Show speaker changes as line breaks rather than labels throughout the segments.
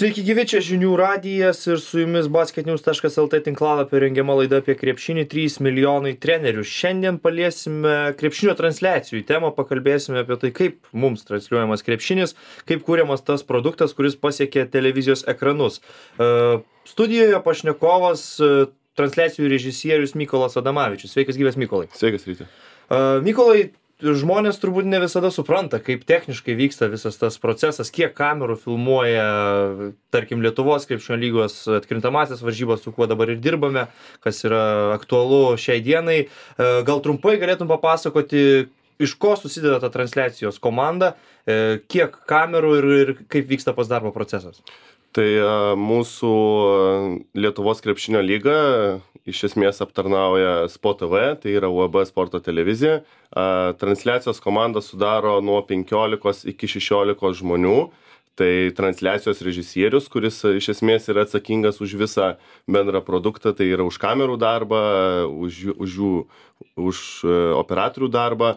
Sveiki gyvi, čia žinių radijas ir su jumis basketnews.lt tinklalapio rengiama laida apie krepšinį 3 milijonai trenerių. Šiandien paliesime krepšinio transliacijų temą, pakalbėsime apie tai, kaip mums transliuojamas krepšinis, kaip kūriamas tas produktas, kuris pasiekia televizijos ekranus. Studijoje pašnekovas, transliacijų režisierius Mykolas Adamavičius. Sveikas gyvas, Mykolai.
Sveikas, Ryti.
Mykolai, žmonės turbūt ne visada supranta, kaip techniškai vyksta visas tas procesas, kiek kamerų filmuoja, tarkim, Lietuvos krepšinio lygos atkrintamąsias varžybas, su kuo dabar ir dirbame, kas yra aktualu šiai dienai. Gal trumpai galėtum papasakoti, iš ko susideda ta transliacijos komanda, kiek kamerų ir kaip vyksta pats darbo procesas?
Tai mūsų Lietuvos krepšinio lyga iš esmės aptarnauja Sport TV, tai yra UAB sporto televizija. Transliacijos komanda sudaro nuo 15 iki 16 žmonių. Tai transliacijos režisierius, kuris iš esmės yra atsakingas už visą bendrą produktą, tai yra už kamerų darbą, už operatorių darbą.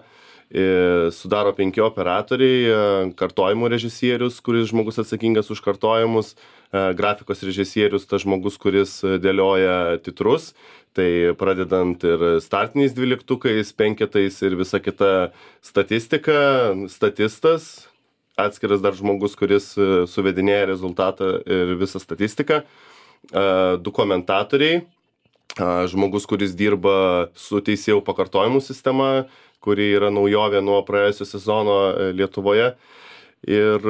Sudaro 5 operatoriai, kartojimų režisierius, kuris žmogus atsakingas už kartojimus, grafikos režisierius, tas žmogus, kuris dėlioja titrus, tai pradedant ir startiniais 12-ukais, 5-ais ir visa kita statistika, statistas, atskiras dar žmogus, kuris suvedinėja rezultatą ir visą statistiką, 2 komentatoriai, žmogus, kuris dirba su teisėjų pakartojimų sistema, kuri yra naujovė nuo praėjusio sezono Lietuvoje, ir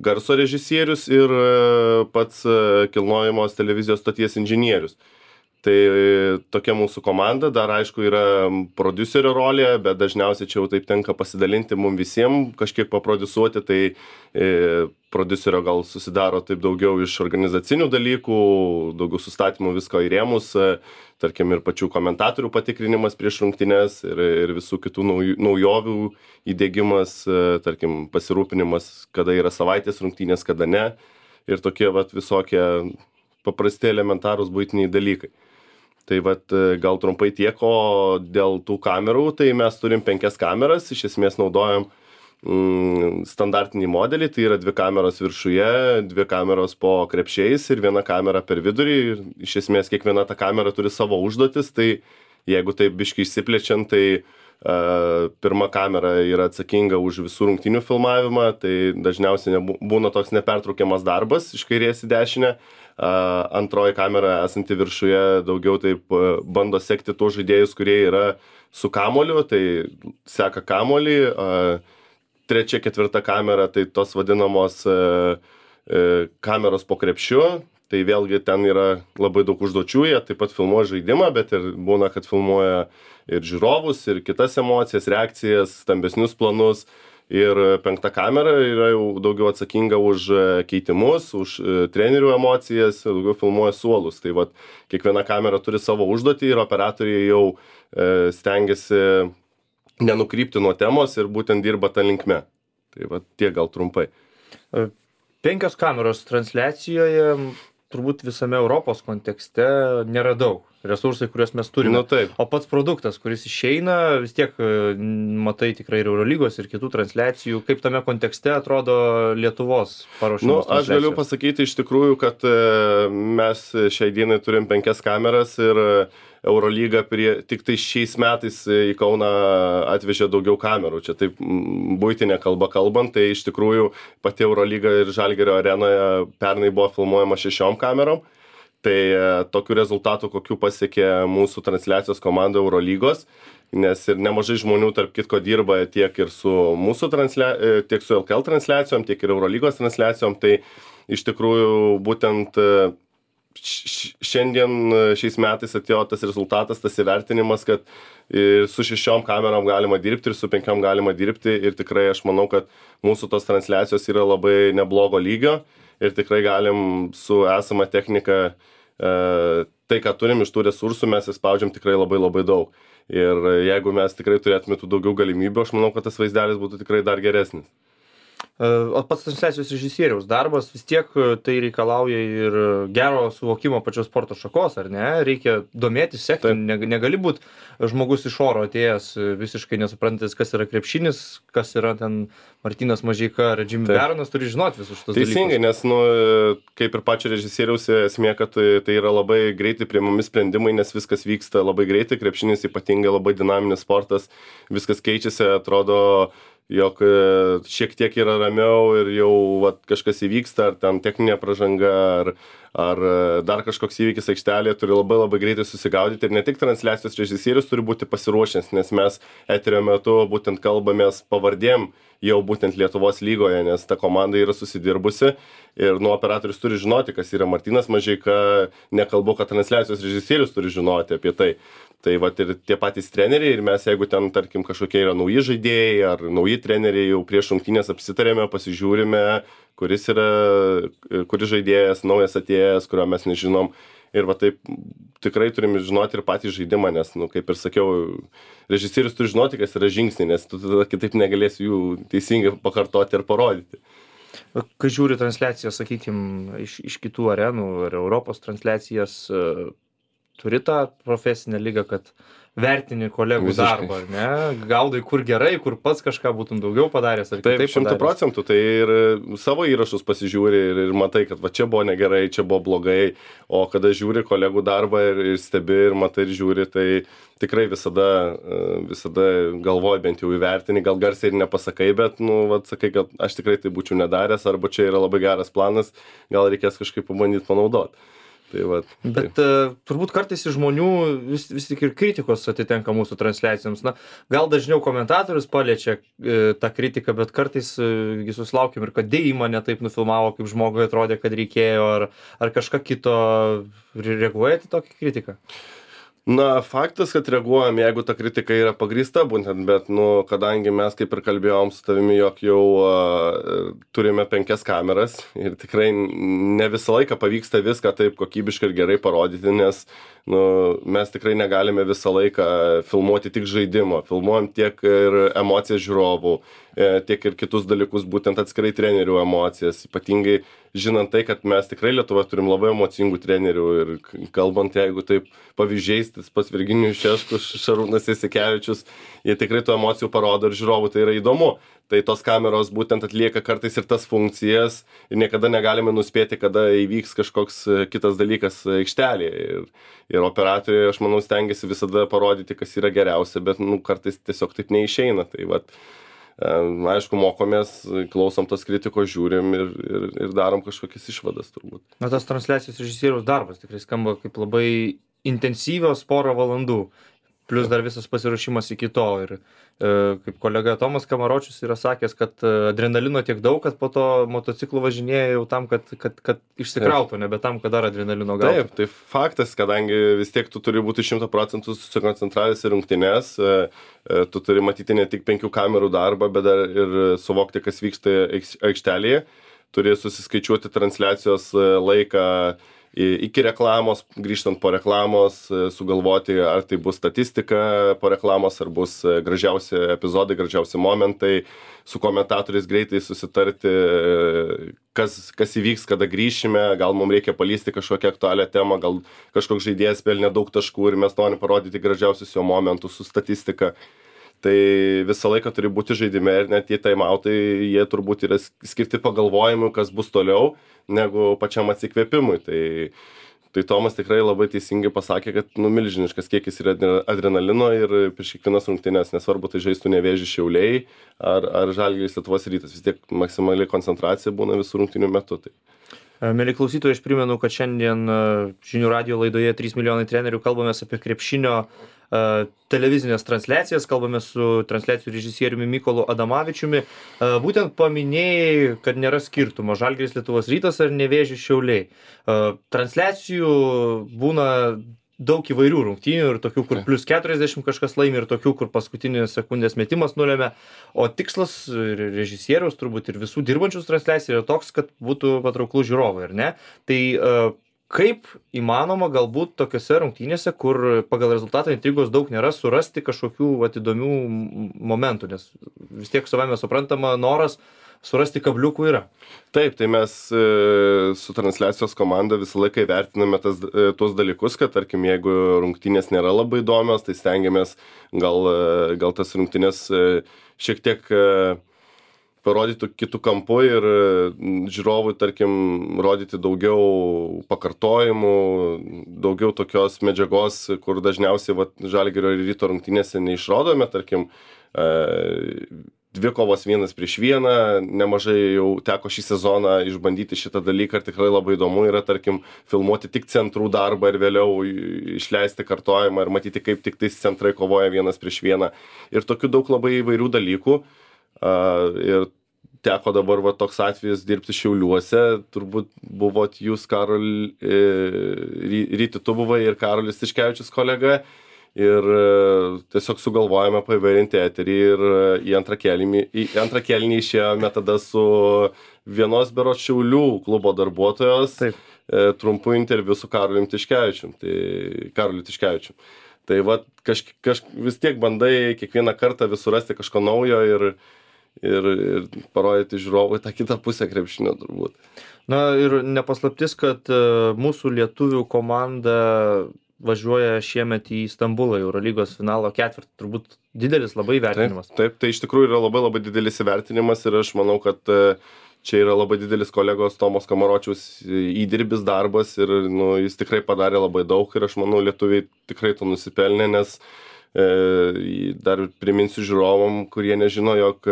garso režisierius ir pats kilnojamos televizijos stoties inžinierius. Tai tokia mūsų komanda, dar aišku yra prodiuserio rolė, bet dažniausiai čia jau taip tenka pasidalinti mums visiems, kažkiek paprodiusuoti, tai prodiuserio gal susidaro taip daugiau iš organizacinių dalykų, daugiau sustatymų visko į rėmus, tarkim ir pačių komentatorių patikrinimas prieš rungtynes ir visų kitų naujovių įdiegimas, tarkim pasirūpinimas, kada yra savaitės rungtynės, kada ne, ir tokie visokie paprasti elementarūs buitiniai dalykai. Tai gal trumpai tiek, o dėl tų kamerų, tai mes turim 5 kameras, iš esmės naudojam standartinį modelį, tai yra 2 kameros viršuje, 2 kameros po krepšiais ir 1 kamera per vidurį. Ir iš esmės kiekviena ta kamera turi savo užduotis, tai jeigu taip biškai išsiplečiant, tai pirma kamera yra atsakinga už visų rungtynių filmavimą, tai dažniausiai būna toks nepertraukiamas darbas iš kairės į dešinę. Antroji kamera esanti viršuje daugiau taip bando sekti tuos žaidėjus, kurie yra su kamoliu, tai seka kamolį. 3, 4 kamera, tai tos vadinamos kameros po krepšiu, tai vėlgi ten yra labai daug užduočių, jie taip pat filmuoja žaidimą, bet ir būna, kad filmuoja ir žiūrovus, ir kitas emocijas, reakcijas, stambesnius planus. Ir 5 kamera yra jau daugiau atsakinga už keitimus, už trenerių emocijas, daugiau filmuoja suolus. Tai kiekviena kamera turi savo užduotį ir operatoriai jau stengiasi nenukrypti nuo temos ir būtent dirba tą linkme. Tai tiek gal trumpai.
5 kameros transliacijoje turbūt visame Europos kontekste nėra daug. Resursai, kuriuos mes turime. O pats produktas, kuris išeina, vis tiek matai tikrai ir Eurolygos ir kitų transliacijų. Kaip tame kontekste atrodo Lietuvos paruošimas transliacijos?
Aš galiu pasakyti iš tikrųjų, kad mes šiai dienai turim 5 kameras ir Eurolyga tik tai šiais metais į Kauną atvežė daugiau kamerų. Čia taip buitinė kalba kalbant, tai iš tikrųjų pati Eurolyga ir Žalgirio arenoje pernai buvo filmuojama 6 kamerom. Tai tokių rezultatų, kokių pasiekė mūsų transliacijos komanda Eurolygos, nes ir nemažai žmonių tarp kitko dirba tiek ir su mūsų tiek su LKL transliacijom, tiek ir Eurolygos transliacijom, tai iš tikrųjų būtent šiandien šiais metais atėjo tas rezultatas, tas įvertinimas, kad ir su 6 kamerom galima dirbti ir su 5 galima dirbti ir tikrai aš manau, kad mūsų tos transliacijos yra labai neblogo lygio. Ir tikrai galim su esama technika, tai ką turim iš tų resursų, mes įspaudžiam tikrai labai labai daug. Ir jeigu mes tikrai turėtume tų daugiau galimybių, aš manau, kad tas vaizdelis būtų tikrai dar geresnis.
O pats transliacijos režisieriaus darbas vis tiek tai reikalauja ir gero suvokimo pačios sporto šakos, ar ne? Reikia domėtis, sekti, negali būti žmogus iš oro atėjęs visiškai nesuprantantis, kas yra krepšinis, kas yra ten Martynas Mažeika ar Jimmy Baronas, turi žinoti visus šitos dalykus.
Teisingai, nes, nu, kaip ir pačio režisieriaus esmė, kad tai yra labai greitai priimami sprendimai, nes viskas vyksta labai greitai, krepšinis ypatingai labai dinaminis sportas, viskas keičiasi, atrodo, jog šiek tiek yra ramiau ir jau vat, kažkas įvyksta, ar ten techninė pražanga, ar dar kažkoks įvykis aikštelėje, turi labai greitai susigaudyti ir ne tik transliacijos režisierius turi būti pasiruošęs, nes mes eterio metu būtent kalbamės pavardėm jau būtent Lietuvos lygoje, nes ta komanda yra susidirbusi ir nu operatorius turi žinoti, kas yra Martynas Mažeika, nekalbu, kad transliacijos režisierius turi žinoti apie tai. Tai vat ir tie patys treneriai ir mes, jeigu ten, tarkim, kažkokie yra nauji žaidėjai ar nauji treneriai, jau prieš rungtynes apsitarėme, pasižiūrime, kuris žaidėjas, naujas atėjęs, kurio mes nežinom. Ir va taip tikrai turime žinoti ir patį žaidimą, nes, nu, kaip ir sakiau, režisierius turi žinoti, kas yra žingsniai, nes tu tada kitaip negalėsi jų teisingai pakartoti ir parodyti.
Kai žiūri transliacijas, sakykime, iš kitų arenų ar Europos transliacijas, turi tą profesinę lygą, kad vertini kolegų darbą, ar ne? Gaudai, kur gerai, kur pats kažką būtum daugiau padaręs, ar kitaip padaręs.
Taip, 100%, tai ir savo įrašus pasižiūri ir matai, kad va čia buvo negerai, čia buvo blogai, o kada žiūri kolegų darbą ir stebi ir matai ir žiūri, tai tikrai visada galvoji bent jau įvertini, gal garsiai ir nepasakai, bet, nu, va, sakai, kad aš tikrai tai būčiau nedaręs, arba čia yra labai geras planas, gal reikės kažkaip pabandyti panaudoti. Tai va,
bet turbūt kartais iš žmonių vis tik ir kritikos atitenka mūsų transliacijoms. Na, gal dažniau komentatorius paliečia tą kritiką, bet kartais susilaukiam ir kad įmonė taip nufilmavo, kaip žmogui atrodė, kad reikėjo, ar kažką kito. Reaguojate į tokią kritiką?
Na, faktas, kad reaguojam, jeigu ta kritika yra pagrįsta būtent, bet, nu, kadangi mes kaip ir kalbėjom su tavimi, jog jau turime 5 kameras ir tikrai ne visą laiką pavyksta viską taip kokybiškai ir gerai parodyti, nes, nu, mes tikrai negalime visą laiką filmuoti tik žaidimo, filmuojam tiek ir emocijas žiūrovų, tiek ir kitus dalykus, būtent atskirai trenerių emocijas, ypatingai žinant tai, kad mes tikrai Lietuvoje turim labai emocingų trenerių ir kalbant, jeigu taip pavyzdžiais, tas pats Virginijus Šeškus, Šarūnas Jasikevičius, jie tikrai tų emocijų parodo ir žiūrovų tai yra įdomu. Tai tos kameros būtent atlieka kartais ir tas funkcijas ir niekada negalime nuspėti, kada įvyks kažkoks kitas dalykas aikštelėje. Ir operatoriai, aš manau, stengiasi visada parodyti, kas yra geriausia, bet nu, kartais tiesiog taip neišeina. Tai vat, aišku, mokomės, klausom tos kritikos, žiūrim ir darom kažkokias išvadas turbūt.
Na, tas transliacijos režisieriaus darbas tikrai skamba kaip labai intensyvios porą valandų, plus dar visas pasiruošimas iki to. Ir kaip kolega Tomas Kamaročius yra sakęs, kad adrenalino tiek daug, kad po to motociklu važinėja jau tam, kad išsikrautų, nebe tam, kad dar adrenalino gautų.
Taip, tai faktas, kadangi vis tiek tu turi būti 100% susikoncentravęs į rungtynes, tu turi matyti ne tik 5 kamerų darbą, bet dar ir suvokti, kas vyksta aikštelėje, turi susiskaičiuoti transliacijos laiką iki reklamos, grįžtant po reklamos, sugalvoti, ar tai bus statistika po reklamos, ar bus gražiausi epizodai, gražiausi momentai, su komentatoriais greitai susitarti, kas įvyks, kada grįšime, gal mums reikia palysti kažkokią aktualią temą, gal kažkoks žaidėjas pelnė daug taškų ir mes norim parodyti gražiausius jo momentus su statistika. Tai visą laiką turi būti žaidime ir net tie timeoutai, jie turbūt yra skirti pagalvojimui, kas bus toliau, negu pačiam atsikvėpimui. Tai Tomas tikrai labai teisingai pasakė, kad nu, milžiniškas kiekis yra adrenalino ir prieš kiekvienas rungtynes, nesvarbu, tai žaistų Nevėžis Šiauliai ar Žalgiris Lietuvos Rytas, vis tiek maksimali koncentracija būna visų rungtynių metu. Tai.
Mieli klausytojai, aš primenu, kad šiandien žinių radijo laidoje 3 milijonai trenerių kalbamės apie krepšinio televizinės transliacijas, kalbame su transliacijų režisieriumi Mykolu Adamavičiumi. Būtent paminėjai, kad nėra skirtumo Žalgiris Lietuvos Rytas ar Nevėžis Šiauliai. Transliacijų būna daug įvairių rungtynių ir tokių, kur plus 40 kažkas laimi ir tokių, kur paskutinės sekundės metimas nulėmė. O tikslas režisieriaus turbūt ir visų dirbančius transliacijų yra toks, kad būtų patrauklus žiūrovai, ar ne? Tai kaip įmanoma galbūt tokiose rungtynėse, kur pagal rezultatą intrigos daug nėra, surasti kažkokių įdomių momentų, nes vis tiek savame suprantama noras surasti kabliukų yra.
Taip, tai mes su transliacijos komanda visą laiką įvertiname tuos dalykus, kad tarkim, jeigu rungtynės nėra labai įdomios, tai stengiamės gal tas rungtynės šiek tiek parodyti kitų kampų ir žiūrovui, tarkim, rodyti daugiau pakartojimų, daugiau tokios medžiagos, kur dažniausiai Žalgirio ir Ryto rungtynėse neišrodome, tarkim, dvi kovos 1-1, nemažai jau teko šį sezoną išbandyti šitą dalyką ir tikrai labai įdomu yra, tarkim, filmuoti tik centrų darbą ir vėliau išleisti kartojimą ir matyti, kaip tik tais centrai kovoja 1-1. Ir tokių daug labai įvairių dalykų. Ir teko dabar toks atvejis dirbti Šiauliuose, turbūt buvot jūs, Ryti, tu buvai ir Karolis Tiškevičius kolega. Ir tiesiog sugalvojame paįvairinti eterį ir į antrą kėlinį išėjome tada su vienos berods Šiaulių klubo darbuotojos trumpu interviu su Karoliu Tiškevičium. Tai vis tiek bandai kiekvieną kartą vis surasti kažko naujo ir parodyti žiūrovui tą kitą pusę krepšinio turbūt.
Na ir nepaslaptis, kad mūsų lietuvių komanda važiuoja šiemet į Stambulą Eurolygos finalo ketvirtį. Turbūt didelis labai įvertinimas.
Taip, tai iš tikrųjų yra labai labai didelis įvertinimas ir aš manau, kad čia yra labai didelis kolegos Tomos Kamaročiaus įdirbis darbas ir jis tikrai padarė labai daug ir aš manau, lietuviai tikrai to nusipelnė, nes dar priminsiu žiūrovam, kurie nežino, jog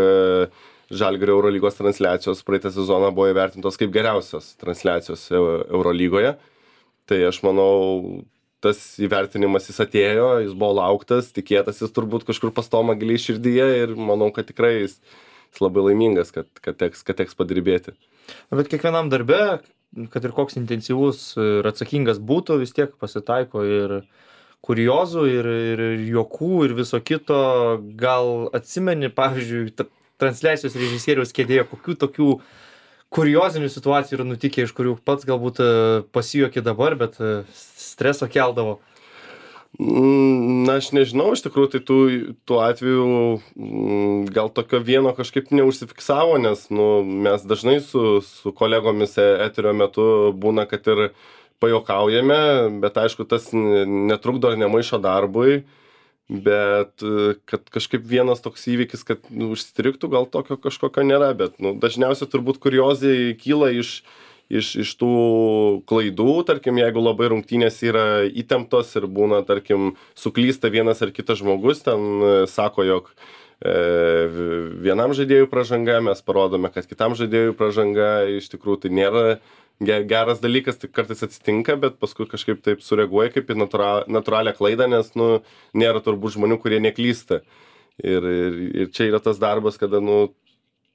Žalgirio Eurolygos transliacijos praeitą sezoną buvo įvertintos kaip geriausios transliacijos Eurolygoje. Tai aš manau, tas įvertinimas jis atėjo, jis buvo lauktas, tikėtasis turbūt kažkur pas Tomą giliai širdyje ir manau, kad tikrai jis labai laimingas, kad teks padirbėti.
Bet kiekvienam darbe, kad ir koks intensyvus ir atsakingas būtų, vis tiek pasitaiko ir kuriozų, ir juokų, ir viso kito. Gal atsimeni, pavyzdžiui, transliacijos režisieriaus kėdėje, kokių tokių kuriozinių situacijų yra nutikę, iš kurių pats galbūt pasijuokė dabar, bet streso keldavo?
Na, aš nežinau, iš tikrųjų, tai tų atvejų gal tokio vieno kažkaip neužsifiksavo, nes mes dažnai su kolegomis eterio metu būna, kad ir pajuokaujame, bet aišku, tas netrukdo ir nemaišo darbui, bet kad kažkaip vienas toks įvykis, kad užstriktų, gal tokio kažkokio nėra, bet dažniausiai turbūt kuriozai kyla iš tų klaidų, tarkim, jeigu labai rungtynės yra įtemptos ir būna, tarkim, suklysta vienas ar kitas žmogus, ten sako, jog vienam žaidėjui pražanga, mes parodome, kad kitam žaidėjui pražanga, iš tikrųjų tai nėra geras dalykas, tai kartais atsitinka, bet paskui kažkaip taip sureaguoja kaip į natūralią klaidą, nes nėra turbūt žmonių, kurie neklysta. Ir čia yra tas darbas, kada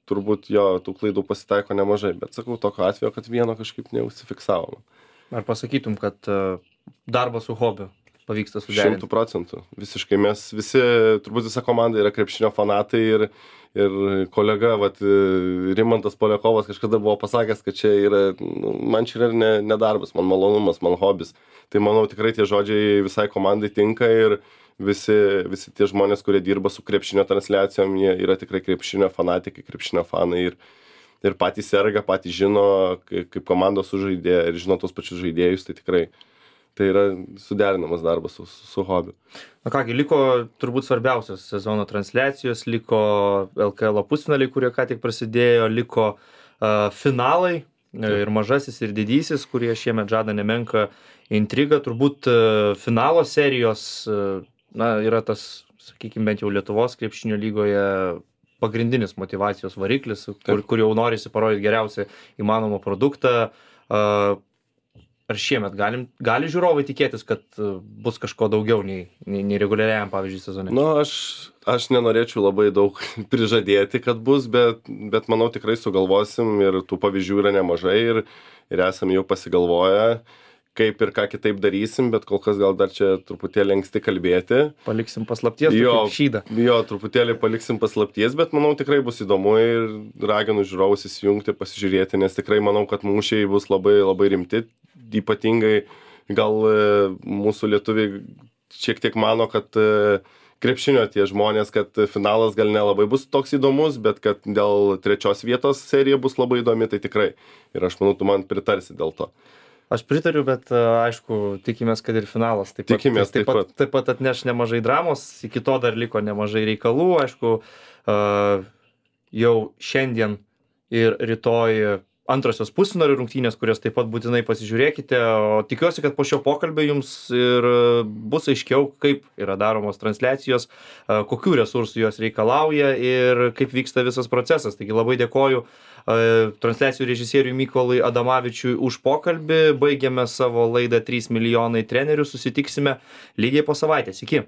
turbūt tų klaidų pasitaiko nemažai, bet sakau, tokio atvejo, kad vieno kažkaip neužsifiksavom.
Ar pasakytum, kad darbas su hobiu pavyksta suderinti?
100%. Visiškai. Mes visi, turbūt visa komanda yra krepšinio fanatai ir kolega, Rimantas Poliakovas kažkada buvo pasakęs, kad čia yra, man čia yra ne darbas, man malonumas, man hobis. Tai manau, tikrai tie žodžiai visai komandai tinka ir visi tie žmonės, kurie dirba su krepšinio transliacijom, jie yra tikrai krepšinio fanatikai, krepšinio fanai ir patys serga, patys žino, kaip komandos sužaidė ir žino tos pačius žaidėjus, tai tikrai tai yra suderinamas darbas su hobiu.
Na kągi, liko turbūt svarbiausios sezono transliacijos, liko LKL pusfinaliai, kurie ką tik prasidėjo, liko finalai ir mažasis ir didysis, kurie šiemet žada nemenką intrigą. Turbūt finalo serijos yra tas, sakykime, bent jau Lietuvos krepšinio lygoje pagrindinis motyvacijos variklis, kur jau norisi parodyti geriausią įmanomą produktą. Ar šiemet gali žiūrovai tikėtis, kad bus kažko daugiau nei reguliariajam, pavyzdžiui, sezone?
Aš nenorėčiau labai daug prižadėti, kad bus, bet manau tikrai sugalvosim ir tų pavyzdžių yra nemažai ir esam jau pasigalvoję, kaip ir ką kitaip darysim, bet kol kas gal dar čia truputėlį anksti kalbėti.
Paliksim paslapties, šydą.
Jo, truputėlį paliksim paslapties, bet manau tikrai bus įdomu ir raginu žiūrovus įsijungti, pasižiūrėti, nes tikrai manau, kad mūšiai bus labai labai rimti. Ypatingai gal mūsų lietuviai šiek tiek mano, kad krepšinio tie žmonės, kad finalas gal nelabai bus toks įdomus, bet kad dėl 3 vietos serija bus labai įdomi, tai tikrai. Ir aš manau, tu man pritarsi dėl to.
Aš pritariu, bet aišku, tikimės, kad ir finalas taip pat atneš nemažai dramos, iki to dar liko nemažai reikalų, aišku, jau šiandien ir rytoj antrosios pusfinalio rungtynės, kurias taip pat būtinai pasižiūrėkite, o tikiuosi, kad po šio pokalbio jums ir bus aiškiau, kaip yra daromos transliacijos, kokių resursų jos reikalauja ir kaip vyksta visas procesas. Taigi labai dėkoju transliacijų režisieriui Mykolui Adamavičiui už pokalbį. Baigiame savo laidą 3 milijonai trenerių. Susitiksime lygiai po savaitės. Iki.